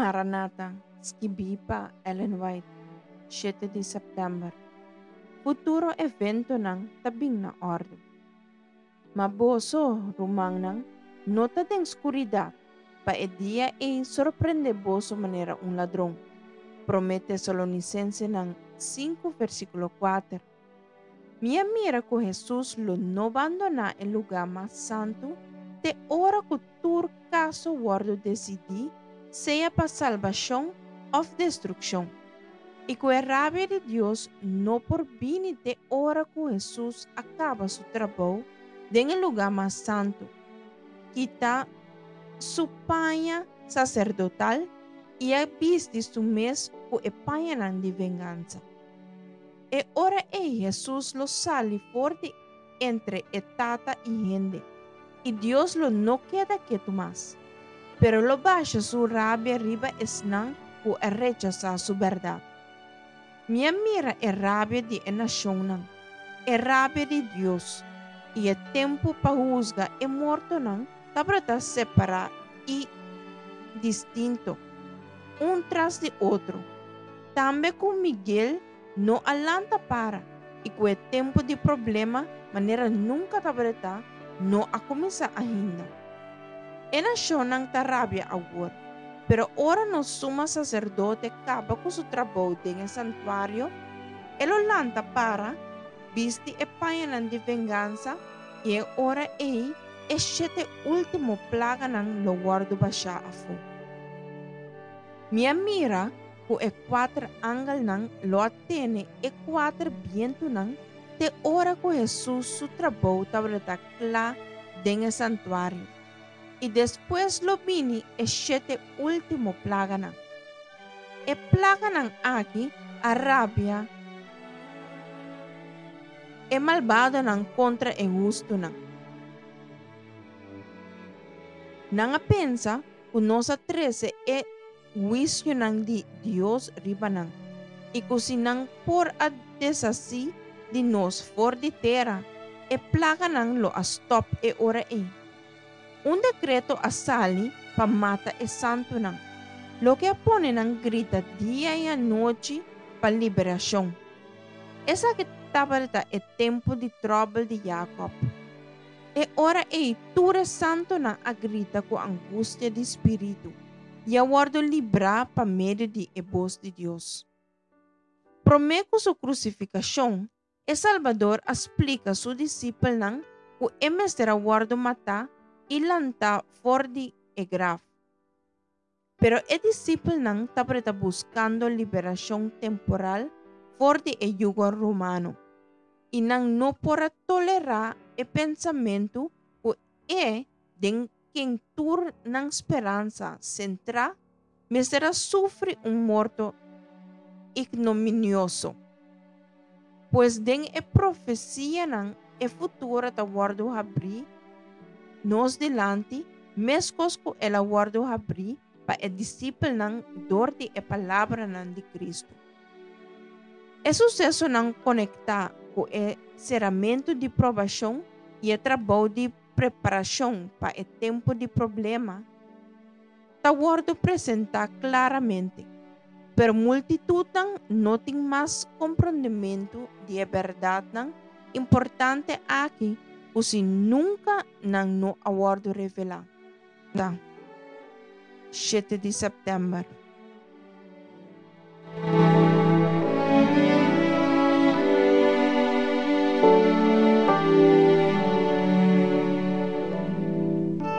Maranata, skibí pa Ellen White, shete di sèptèmber. Futuro eventonan ta bin na òrdu. Ma boso, rumannan, no ta den skuridat, pa e dia ei sorprendé boso manera un ladron. Promé Tesalonisensenan sinku versíkulo kuater. Mi a mira ku Hesus lo no bandoná e lugá mas santu te ora ku tur kaso wòrdu desidí, sea pa salbashon òf destrukshon, i ku e rabia di Dios no por bini te ora ku Hesus a kaba su trabou den e lugá mas santu, kita su paña saserdotal i a bisti su mes ku e pañanan di vengansa. E ora ei Hesus lo sali for di entre e Tata i hende, i Dios lo no keda ketu mas, pero lo basha su rabia riba esnan ku a rechasá su bèrdat. Mi a mira e rabia di e nashonnan, e rabia di Dios, i e tempu pa husga e mortonan tabata separá i distinto, un tras di otro. Tambe ku Miguel no a lanta para i ku e tempu di problema manera nunka tabata no a kuminsá ainda. E nashonnan ta rabia awor, pero ora nos suma saserdote kaba ku su trabou den e santuario, e lo lanta para, bisti e pañanan di vengansa i e ora ei e shete último plaganan lo wòrdu bashá afó. Mi a mira ku e kuater angelnan lo a tene e kuater bientunan te ora ku Hesus su trabou tabata kla den e santuario, i despues lo bini e shete último plaganan. E plaganan aki a rabia e malbadonan kontra e hustunan. Nan a pensa ku nos a trese e huisionan di Dios riba nan, i ku si nan por a deshasí di nos for di tera, e plaganan lo a stòp e ora ei. Un dekreto a sali pa mata e santunan, loke a pone nan grita dia i anochi pa liberashon. Esaki tabata e tempu di tròbel di Yakòb. E ora ei tur e santunan a grita ku angustia di spiritu i a wòrdu librá pa medio di e bos di Dios. Promé ku su krusifikashon, e Salbador a splika su disipelnan ku e mester a wòrdu matá i lantá for di e graf. Pero e disipelnan tabata buskando liberashon temporal for di e yugo romano, i nan no por a tolerá e pensamentu ku e den ken tur nan speransa sentrá mester a sufri un morto ignominioso. Pues den e profesianan e futuro ta wòrdu habrí nos dilanti meskos ku el a wòrdu habrí pa e disipelnan dor di e palabranan di Kristu. E susesonan konektá ku e seramentu di probashon i e trabou di preparashon pa e tempu di problema ta wòrdu presentá klaramente, pero multitutnan no tin mas komprondementu di e bèrdatnan importante aki ku si nunka nan no a wòrdu revelá. Ta shete di sèptèmber.